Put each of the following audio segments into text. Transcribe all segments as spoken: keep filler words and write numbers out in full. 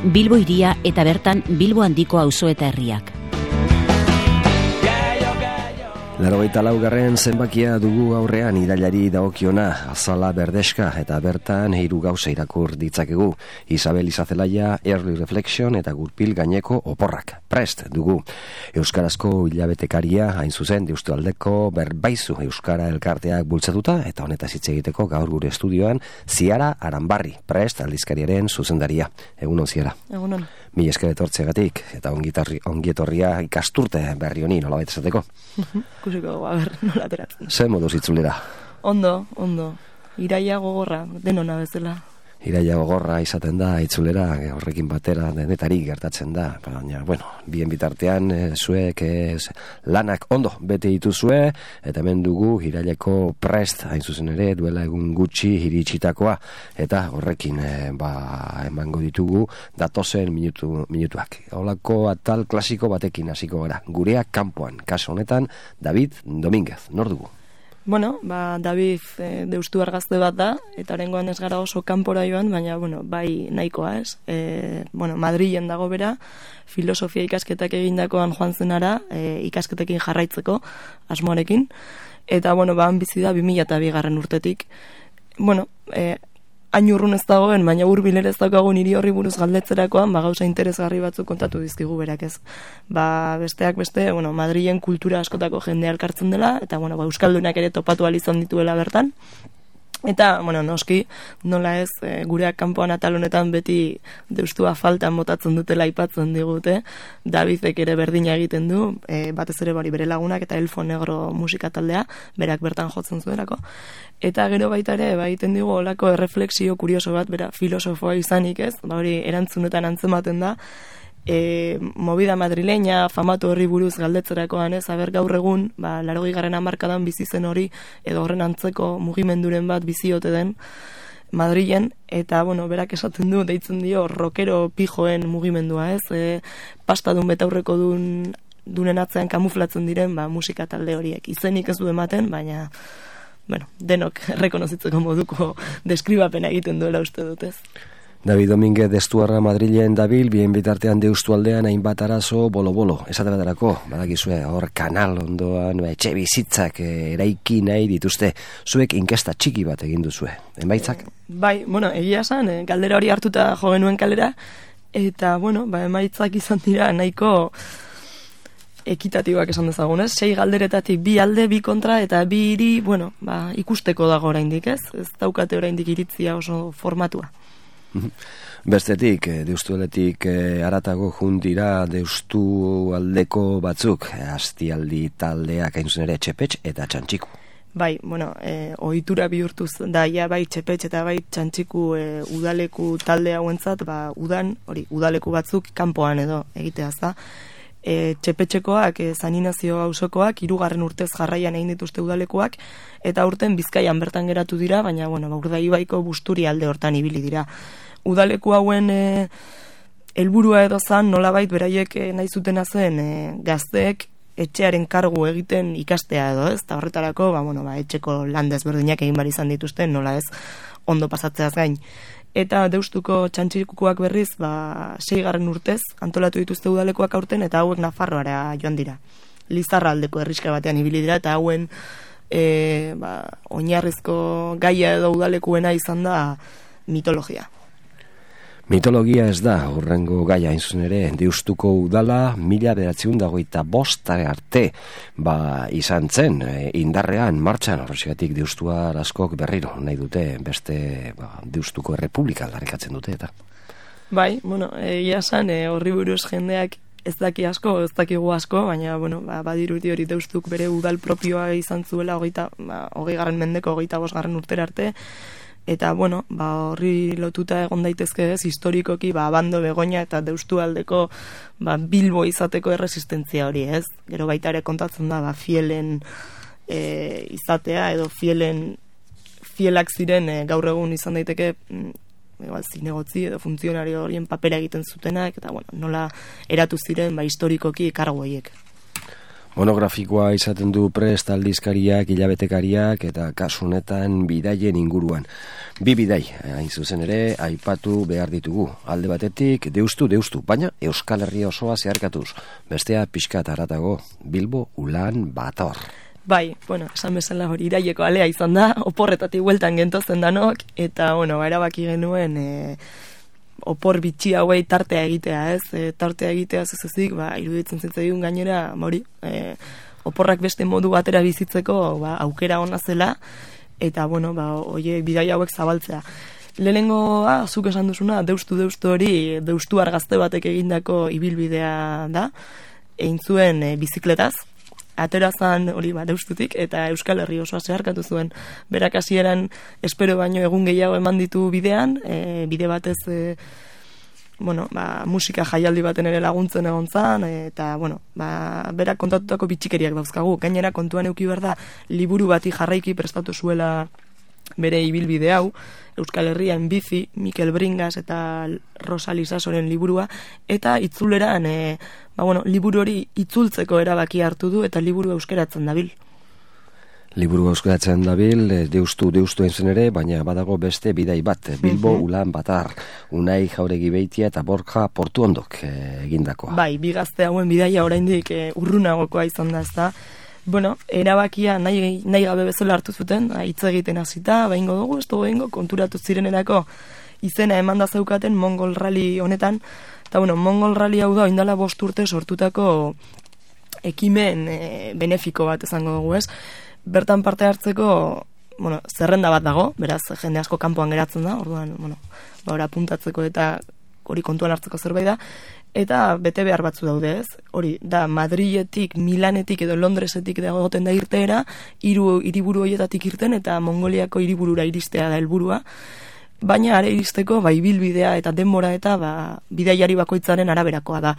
Bilbo hiria eta bertan Bilbo handiko auzo eta herriak. Laurogeita laugarren zenbakia dugu aurrean irailari dagokiona, azala berdeska eta bertan hiru gauza irakur ditzakegu. Isabel Izazelaia, Early Reflection eta Gurpil gaineko oporrak. Prest dugu. Euskarazko hilabetekaria, hain zuzen, Deustualdeko berbaizu Euskara elkarteak bultzatuta eta honetaz hitz egiteko gaur gure estudioan Ziara Aranbarri, Prest aldizkariaren zuzendaria. Egunon, Ziara. Egunon. Mi esker etortzeagatik eta ongietorria ikasturte berri honi nolabait esateko. Kusiko, a ber, nola ateratzen. Zer moduz itzulera? Ondo, ondo. Iraia gogorra, denona bezala. Iraia gogorra izaten da, itzulera, horrekin batera denetari gertatzen da. Baina, bueno, bien bitartean, e, zuek e, lanak ondo bete dituzue, eta hemen dugu iraileko Prest, hain zuzen ere, duela egun gutxi iritsitakoa, eta horrekin e, ba, emango ditugu datozen minutu, minutuak. Holako atal klasiko batekin hasiko gara. Gureak kanpoan, kaso honetan, David Domínguez, nor dugu? Bueno, ba, David e, deustu argazte bat da, eta orengoan ez gara oso kanpora joan, baina, bueno, bai nahikoa, ez? E, bueno, Madrilen dago bera, filosofia ikasketak egindakoan joan zenara, e, ikasketekin jarraitzeko, asmoarekin, eta, bueno, ba, bizi da bi mila eta bigarren urtetik. Bueno, e, hain urrun ez dagoen, baina hurbil ere ez daukagu niri horri buruz galdetzerakoan, ba, gauza interesgarri batzuk kontatu dizkigu berak, ez. Ba, besteak beste, bueno, Madrilen kultura askotako jendea elkartzen dela, eta, bueno, ba, euskaldunak ere topatu ahal izan dituela bertan. Eta, bueno, noski, nola ez, e, gureak kanpoan atal honetan beti deustua faltan botatzen dutela aipatzen digute, Davidek ere berdina egiten du, e, batez ere bari bere lagunak eta Elfo Negro musika taldea, berak bertan jotzen zuelako. Eta gero baita ere, ba, egiten digu olako erreflexio kurioso bat, bera filosofoa izanik ez, ba, hori erantzunetan antzematen da, E, movida madrileña, famatu horri buruz galdetzerakoan ez, aber gaur egun, ba, laurogei garren hamarkadan bizi zen hori, edo horren antzeko mugimenduren bat biziote den Madrilen, eta, bueno, berak esaten du, deitzen dio, rockero pijoen mugimendua ez, e, pastadun betaurreko dun, dunen atzean kamuflatzen diren, ba, musika talde horiek. Izenik ez du ematen, baina, bueno, denok rekonozitzeko moduko deskribapena egiten duela uste dut ez. David Domínguez destuarra Madrilen dabil, bien bitartean Deustualdean hainbat arazo bolo-bolo. Esate baterako, badakizue, hor kanal ondoan, ba, etxe bizitzak e, eraiki nahi dituzte. Zuek inkesta txiki bat egin duzue. Emaitzak? E, bai, bueno, egia esan, e, galdera hori hartuta jo genuen kalera, eta, bueno, ba, emaitzak izan dira nahiko ekitatibak esan dezagun, ez? Sei galderetatik bi alde, bi kontra, eta bi hiri, bueno, ba, ikusteko dago oraindik, ez? Ez daukate oraindik iritzia oso formatua. Bestetik, Deustualetik haratago jundira Deustu aldeko batzuk, Astialdi taldeak hain zuzen ere Txepetx eta Txantxiku. Bai, bueno, e, ohitura bihurtuz da, ja, bai Txepetx eta bai Txantxiku e, udaleku talde hauentzat, ba, udan, hori, udaleku batzuk kanpoan edo egiteaz da. E, Txepetxekoak, e, Zaninazio auzokoak, hirugarren urtez jarraian egin dituzte udalekuak, eta urten Bizkaian bertan geratu dira, baina, bueno, Urdaibaiko Busturi alde hortan ibili dira. Udaleku hauen e, helburua edo zan, nolabait beraiek e, nahi zutena zen e, gazteek etxearen kargu egiten ikastea edo, ez? Eta horretarako, ba, bueno, ba, etxeko lan desberdinak egin bar izan dituzten, nola ez, ondo pasatzeaz gain. Eta Deustuko Txantxikukoak berriz, ba, seigarren urtez, antolatu dituzte udalekoak aurten, eta hauek Nafarroara joan dira. Lizarra aldeko herriska batean ibili dira, eta hauen e, ba, oinarrizko gaia edo udalekuena izan da mitologia. Mitologia ez da, hurrengo gaia hain zuzen ere, Deustuko udala mila bederatziehun eta hogeita bost arte ba, izan zen, e, indarrean, martxan, horregatik Deustuar askok berriro nahi dute, beste ba, Deustuko Errepublika aldarrikatzen dute eta. Bai, bueno, egia esan, e, horri buruz jendeak ez daki asko, ez dakigu asko, baina, bueno, ba, badiruti hori Deustuk bere udal propioa izan zuela hogeita, ba, hogei garren mendeko, hogeita bost garren urtera arte, eta, bueno, ba, horri lotuta egon daitezke ez, historikoki, ba, Abando, Begoña eta Deustualdeko ba, Bilbo izateko erresistentzia hori, ez? Gero baita ere kontatzen da, ba, fielen e, izatea, edo fielen fielak ziren e, gaur egun izan daiteke igual, zinegotzi edo funtzionario horien papera egiten zutenak, eta, bueno, nola eratu ziren, ba, historikoki kargu horiek. Monografikoa izaten du prest aldizkariak, hilabetekariak eta kasu honetan bidaien inguruan. Bi bidai, hain zuzen ere, aipatu behar ditugu. Alde batetik, deustu, deustu, baina Euskal Herria osoa zeharkatuz. Bestea pixka haratago, Bilbo Ulan Bator. Bai, bueno, esan bezala hori iraieko alea izan da, oporretatik bueltan gentozen danok, eta, bueno, erabaki genuen... E... opor bitxi hauei tartea egitea, ez? E, tartea egitea zezezik, ba, iruditzen zitzaigun gainera, hori, e, oporrak beste modu batera bizitzeko, ba, aukera ona zela, eta, bueno, ba, oie, bidai hauek zabaltzea. Lehenengoa, zuk esan duzuna, deustu deustu hori, deustu argazte batek egindako ibilbidea da, egin zuen e, bizikletaz, aterazan hori ba, deustutik, eta Euskal Herri osoa zeharkatu zuen. Berak hasieran espero baino egun gehiago eman ditu bidean, e, bide batez e, bueno, ba, musika jaialdi baten ere laguntzen egon zan, eta bueno, ba, berak kontatutako bitxikeriak dauzkagu. Gainera kontuan eduki behar da, liburu bati jarraiki prestatu zuela bere ibilbide hau, Euskal Herrian bizi, Mikel Bringas eta Rosa Lisasoren liburua, eta itzuleran, e, ba, bueno, liburu hori itzultzeko erabaki hartu du, eta liburu euskeratzen dabil. Liburu euskeratzen dabil, deustu, deustu entzen ere, baina badago beste bidai bat, Bilbo mm-hmm. Ulan Batar, Unai Jauregi Beitia eta Borja Portuondok e, egindakoa. Bai, bi gazte hauen bidaia oraindik e, urrunagokoa izan da, ezta. Bueno, erabakia nahi, nahi gabe bezala hartu zuten, hitz egiten hasita, behingo dugu, ez dugu behingo, konturatu zirenerako izena emanda zeukaten Mongol Rally honetan, eta bueno, Mongol Rally hau da, indala bost urte sortutako ekimen e, benefiko bat izango dugu, ez? Bertan parte hartzeko, bueno, zerrenda bat dago, beraz, jende asko kanpoan geratzen da, orduan, bueno, ba, ora puntatzeko eta hori kontuan hartzeko zerbait da, eta bete behar batzu daude, ez? Hori, da, Madriletik, Milanetik edo Londresetik dagoten da irteera, hiru hiriburu horietatik irten eta Mongoliako hiriburura iristea da helburua. Baina are iristeko, ba, ibilbidea eta denbora eta ba, bidaiari bakoitzaren araberakoa da.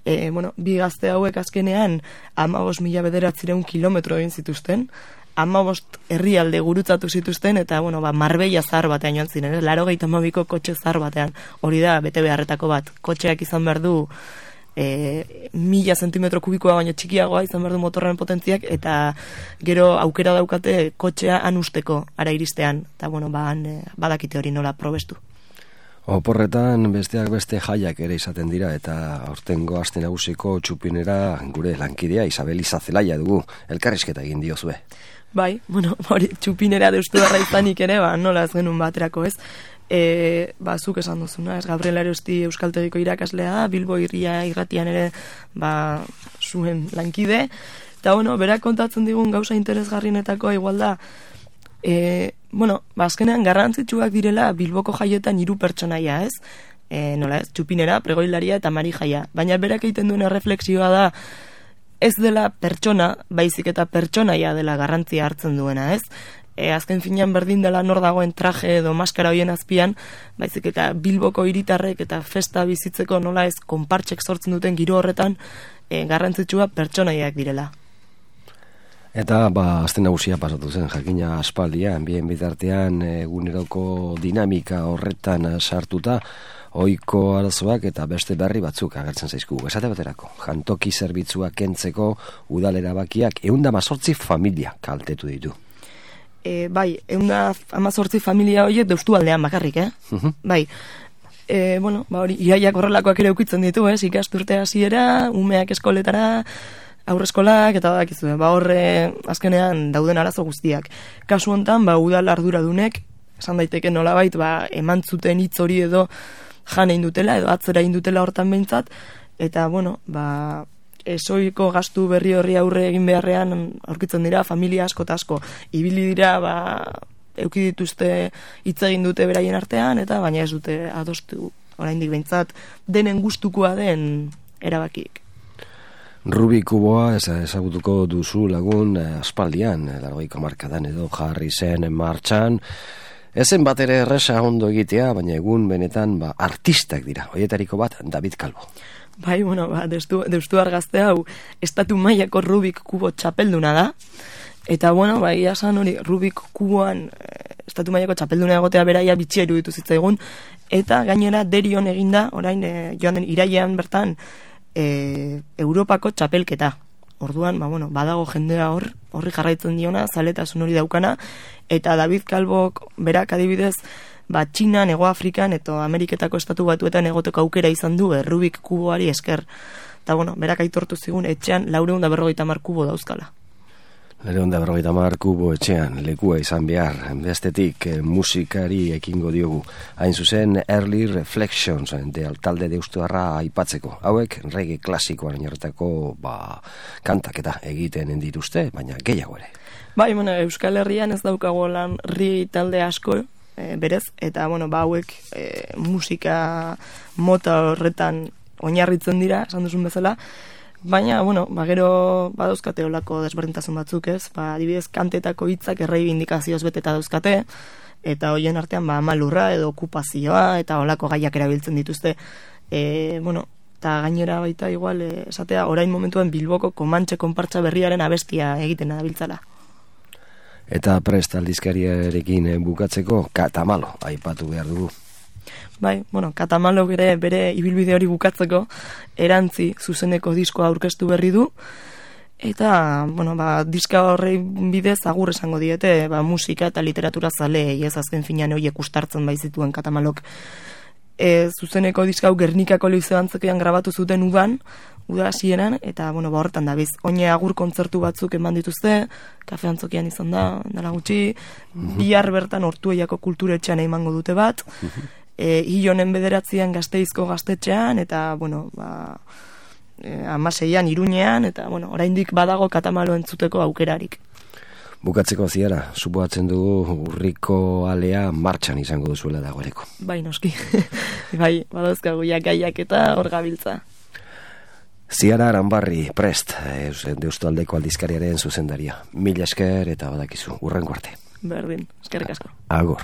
E, bueno, bi gazte hauek azkenean hamabost mila bederatziehun kilometro egin zituzten, hamabost herrialde gurutzatu zituzten, eta, bueno, ba, Marbella zahar batean joan ziren, eh? Laurogeita hamabiko kotxe zahar batean. Hori da, bete beharretako bat. Kotxeak izan behar du e, mila zentimetro kubikoa baino txikiagoa izan behar du motorren potentziak, eta gero aukera daukate kotxea han usteko ara iristean. Eta, bueno, ba, han, e, badakite hori nola probestu. Oporretan besteak beste jaiak ere izaten dira, eta aurtengo aste nagusiko txupinera gure lankidea Isabel Izazelaia dugu, elkarrizketa egin diozue. Bai, bueno, hori txupinera deustu darra izanik ere, ba, nola ez genuen baterako, ez? E, ba, zuk esan duzuna, ez? Gabriel Arosti Euskaltegiko irakaslea da, Bilbo irria irratian ere, ba, zuen lankide, eta, bueno, berak kontatzen digun gauza interesgarrienetakoa igual da, e, bueno, ba, azkenean garrantzitsuak direla Bilboko jaietan hiru pertsonaia, ez? E, nola ez? Txupinera, pregoilaria eta mari jaia. Baina berak egiten duen erreflexioa da, ez dela pertsona, baizik eta pertsonaia dela garrantzia hartzen duena, ez? E, azken finean berdin dela nor dagoen traje edo maskara hoien azpian, baizik eta Bilboko hiritarrek eta festa bizitzeko nola ez konpartsek sortzen duten giro horretan e, garrantzitsua pertsonaiak direla. Eta, ba, azten nagusia pasatu zen, jakina aspaldian, bien bitartean eguneroko dinamika horretan sartuta, ohiko arazoak eta beste berri batzuk agertzen zaizkugu. Esate baterako, jantoki zerbitzua kentzeko udalera bakiak ehun eta hamazortzi familia kaltetu ditu. E, bai, ehun eta hamazortzi familia horiek deustu aldean bakarrik, eh? Uh-huh. Bai, e, bueno, ba hori, iraiak horrelakoak ere ukitzen ditu, ez? Ikasturte hasiera, umeak eskoletara, aurreskolak eta badakizue, ba horre azkenean dauden arazo guztiak. Kasu hontan, ba udal arduradunek, esan daiteke nolabait, ba eman zuten hitz hori edo jan egin dutela edo atzera egin dutela hortan behintzat, eta bueno, ba esoiko gastu berri horri aurre egin beharrean aurkitzen dira familia asko eta asko. Ibili dira, ba eduki dituzte hitz egin dute beraien artean, eta baina ez dute adostu oraindik behintzat denen gustukoa den erabakik. Rubik kuboa ezagutuko duzu lagun eh, aspaldian, laurogeiko hamarkadan edo jarri zen martxan. Ezen bat ere erresa ondo egitea, baina egun benetan ba, artistak dira. Hoietariko bat, David Calvo. Bai, bueno, ba, deustu, deustu argazte hau, estatu mailako Rubik kubo txapelduna da. Eta, bueno, ba, ia san hori, Rubik kuboan eh, estatu mailako txapelduna egotea beraia bitxia iruditu zitzaigun. Eta gainera derion eginda, orain, eh, joan den irailean bertan, E, Europako txapelketa. orduan, ba, bueno, badago jendea hor, horri jarraitzen diona, zaletasun hori daukana, eta David Calvok berak adibidez, ba, Txinan, Ego Afrikan, eta Ameriketako estatu batuetan egoteko aukera izan du, eh, Rubik kuboari esker. Eta, bueno, berak aitortu zigun, etxean laureun da berrogeita hamar kubo dauzkala. Laureun da berrogeita hamar kubo etxean, lekua izan behar, bestetik eh, musikari ekingo diogu. Hain zuzen, Early Reflections, de talde deustuarra aipatzeko. Hauek, reggae klasikoan oinarritako, ba, kantaketa egiten dituzte, baina gehiago ere. Bai, bueno, Euskal Herrian ez daukago lan ri talde asko, e, berez, eta, bueno, ba, hauek e, musika mota horretan oinarritzen dira, esan duzun bezala, baina, bueno, ba, gero badauzkate olako desberdintasun batzuk, ez? Ba, adibidez, kantetako hitzak erreibindikazioz beteta dauzkate, eta hoien artean, ba, malurra edo okupazioa, eta olako gaiak erabiltzen dituzte. E, bueno, eta gainera baita igual, e, esatea, orain momentuan Bilboko Komantxe konpartsa berriaren abestia egiten dabiltzala. Eta prest aldizkariarekin bukatzeko, Katamalo aipatu behar dugu. Bai, bueno, Katamalo bere, bere ibilbide hori bukatzeko erantzi zuzeneko diskoa aurkeztu berri du, eta, bueno, ba, diska horrei bidez agur esango diete, ba, musika eta literatura zale, ez azken finean horiek ustartzen baizituen Katamalok. E, zuzeneko diska hau Gernikako Liceo Antzokian grabatu zuten udan, uda hasieran, eta, bueno, ba, horretan dabiz. Oine agur kontzertu batzuk eman dituzte, Kafe Antzokian izan da, dela gutxi, bihar bertan Ortueiako kulturetxean emango dute bat, e, Ilonen bederatzean Gasteizko gaztetxean, eta, bueno, ba, e, amaseian Iruñean, eta, bueno, oraindik badago Katamalo entzuteko aukerarik. Bukatzeko ziara, supoatzen dugu urriko alea martxan izango duzuela dagoeneko. Bai, noski. Bai, badauzkagu gaiak eta hor gabiltza. Ziara Aranbarri, prest, Deustaldeko aldizkariaren zuzendaria. Mila esker eta badakizu, urrengo arte. Berdin, eskerrik asko. Agor.